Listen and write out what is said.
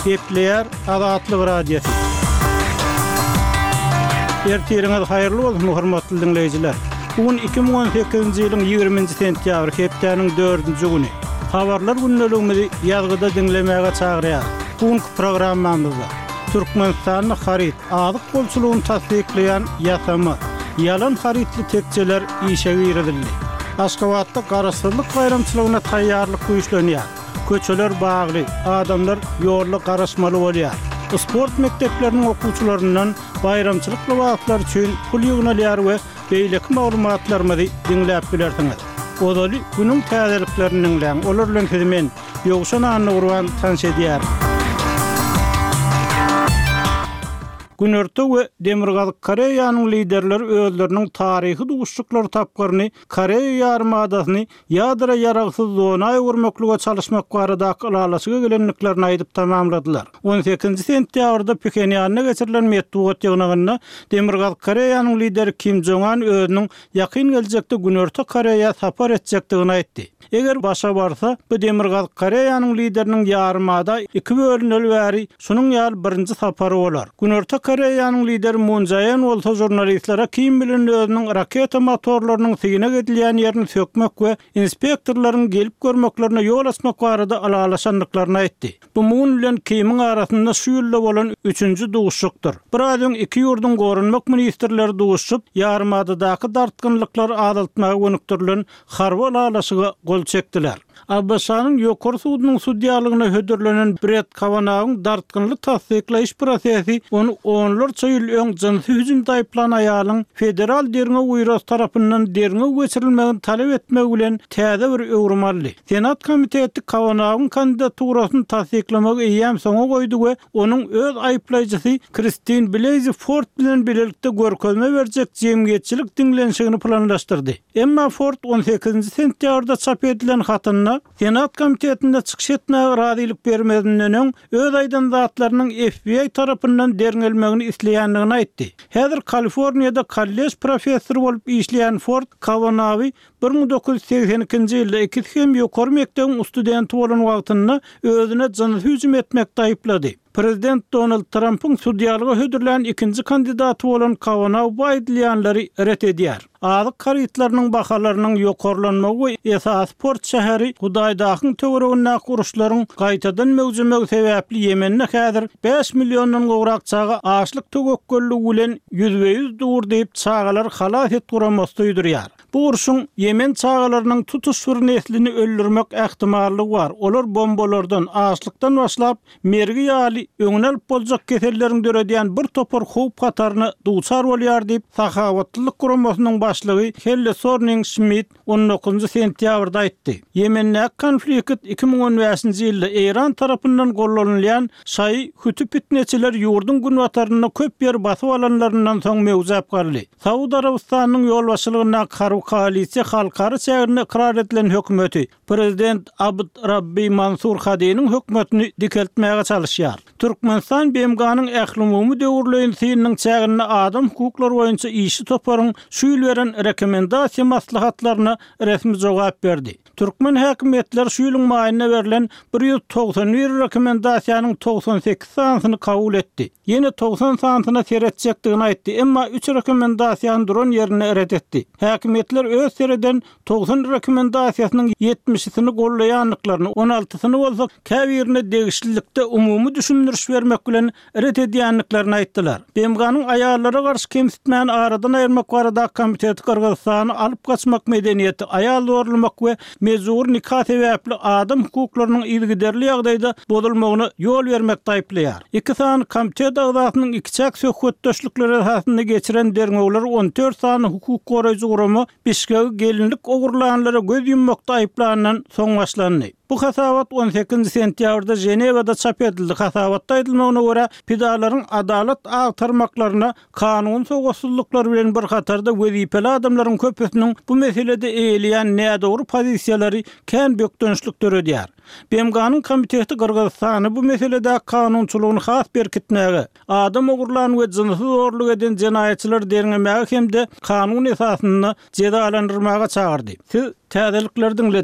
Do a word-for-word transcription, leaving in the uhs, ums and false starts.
Gepleýär Azatlyk Radiosy. Ertiriňiz haýyrly bolsun, hormatly diňleýjiler. Bu gün iki müň on sekizinji ýylyň ýigriminji sentýabry, hepdäniň dördünji güni. Habarlar gündeligimizi ýazgyda diňlemäge çagyrýarys. Bu günki programmamyzda Türkmenistanda haryt, azyk bolçulygyny tassyklaýan ýasama, ýalan harytly tekjeler işe girizildi. Aşgabatda Garaşsyzlyk baýramçylygyna taýýarlyk güýçlenýär. Köçeler bagly, adamlar ýolda garaşmaly bolýar. Sport mekdepleriniň okuwçylaryndan baýramçylyk lybaslary üçin pul ýygnalýar we beýleki maglumatlarymyzy diňläp bilersiňiz. Ozaly günüň täzeliklerini diňläň, olar bilen sizi men, Ýowşan Annagurban tanyş edýärin. Günorta we Demirgazyk Koreýanyň liderleri özleriniň taryhy duşuşyklary tapgyryny Koreýa ýarymadasyny ýadro ýaragsyz zona öwürmeklige çalyşmak baradaky ylalaşyga gelendiklerini aýdyp tamamladylar. On sekizinji sentýabrda Phenýanda geçirilen metbugat ýygnagynda Demirgazyk Koreýanyň lideri Kim Jong Un özüniň ýakyn geljekde Günorta Koreýa sapar etjekdigini aýtdy. Eger başa barsa, bu Demirgazyk Koreýanyň lideriniň ýarymada iki bölüneli bäri şunuň ýaly birinji sapary bolar. Günorta Koreýanyň lideri Moon Jae-in bolsa žurnalistlere Kim bilen özüniň raketa motorlarynyň synag edilýän ýerini sökmek we inspektorlaryň gelip görmeklerine ýol açmak barada ylalaşandyklaryny aýtdy. Bu Moon bilen Kimiň arasynda şu ýylda bolan üçünji duşuşykdyr. Biraz öň iki ýurduň goranmak ministrleri duşuşyp, ýarymadadaky dartgynlyklary azaltmaga gönükdirilen harby ylalaşyga gol çekdiler. A B Ş-nyň ýokary sudunyň sudýalygyna hödürlenen Brett Kawanaugyň dartgynly tassyklaýyş prosesi ony onlarça ýyl öň jynsy hüjümde aýyplan aýalyň Federal derňew býurosy tarapyndan derňew geçirilmegini talap etmegi bilen täze bir öwrüm aldy. Senat komiteti Kawanaugyň kandidaturasyny tassyklamagy eýýäm soňa goýdy we onuň öz aýyplaýjysy Kristin Blasey Ford bilen birlikde görkezme berjek jemgyýetçilik diňlenişigini planlaşdyrdy. Emma Ford on sekizinji sentýabrda çap edilen hatynda Senat komitetinde çykyş etmäge razylyk bermezinden öň öz aýdan zatlarynyň F B I tarapyndan derňelmegini isleýändigini aýtdy. Häzir Kaliforniýada kollej professory bolup işleýän Ford Kawanaugy bir müň dokuz ýüz segsen ikinji ýylda ikisi hem ýokary mekdebiň studenti bolan wagtynda özüne jynsy hüjüm etmekde aýyplady. Prezident Donald Trumpyň sudýalyga hödürlän ikinji kandidaty bolan Kavanaugh bu aýdylýanlary ret edýär. Azyk harytlarynyň bahalarynyň ýokarlanmagy we esasy port şäheri Hudaýdahyň töweregindäki uruşlaryň gaýtadan möwjemegi sebäpli Ýemende häzir bäş milliondan gowrak çaga açlyk töwekgelligi bilen ýüzbe-ýüz dur diýip çagalar halas et guramasy duýdurýar. Bu urşuň Ýemen çagalarynyň tutuş bir neslini öldürmek ähtimallygy bar. Olar bombalardan, açlykdan başlap mergi ýaly öňüni alyp boljak keselleriň döredýän bir topar howp hataryna duçar bolýar diýip Sahabatlylyk guramasynyň başlygy Helle Thorning Schmidt on dokuzynjy sentýabrda aýtdy. Ýemendäki konflikt iki müň on bäşinji ýylda Eýran tarapyndan gollanylýan şaýy Hüti pitneçiler ýurduň günbatarynda köp ýer basyp alanlaryndan soň möwjäp galdy. Saud Arabystanynyň ýolbaşçylygyndaky harby koalisiýa halkara çäginde ykrar edilen hökümeti Prezident Abd Rabbi Mansur Hadiniň hökümetini dikeltmäge çalyşýar. Türkmenistan B M G-nyň ählumumy döwürleýin synynyň çäginde adam hukuklary boýunça işçi toparyň şu ýyl beren rekomendasiýa maslahatlaryna resmi jogap berdi. Türkmen häkimiýetleri şu ýylyň maýynda berlen bir ýüz togsan bir rekomendasiýanyň togsan sekiz sanysyny kabul etdi. Ýene togsan sanysyna seretjekdigini aýtdy, emma üç rekomendasiýany duran ýerinde ret etdi. Häkimiýetler öz sereden togsan rekomendasiýasynyň ýetmişisini gollaýandyklaryny, on altysyny bolsa käbirine degişlilikde umumy düşündiriş bermek bilen ret edýändiklerini aýtdylar. B M G-nyň aýallara garşy kemsitmäni aradan aýyrmak baradaky komiteti Gyrgyzystany alyp gaçmak medeniýeti, aýal zorlamak we mejbur nika sebäpli adam hukuklarynyň yzygiderli ýagdaýda bozulmagyna ýol bermekde aýyplaýar. Iki sany komitet agzasynyň ikiçäk söhbetdeşlikleri esasynda geçiren derňewler on dört sany hukuk goraýjy gurama Bişkegi gelinlik ogurlanlara göz ýummakda aýyplandan soň başlandy. Bu hasabat on sekizinji sentýabrda Ženewada çap edildi. Hasabatda aýdylmagyna görä, pidalaryň adalat agtarmaklaryna kanun sowatsuzlyklary bilen bir hatarda wezipeli adamlaryň köpüsiniň bu meselede eýeleýän nädogry pozisiýalary kän bökdençlik döredýär. B M G-nyň komiteti Gyrgyzystany bu meselede kanunçylygyny has berkitmäge, adam ogurlan we jynsy zorluk eden jenaýatçylary derňemäge hem-de kanun esasynda jezalandyrmaga çagyrdy. Siz täzelikleri diňlediniz.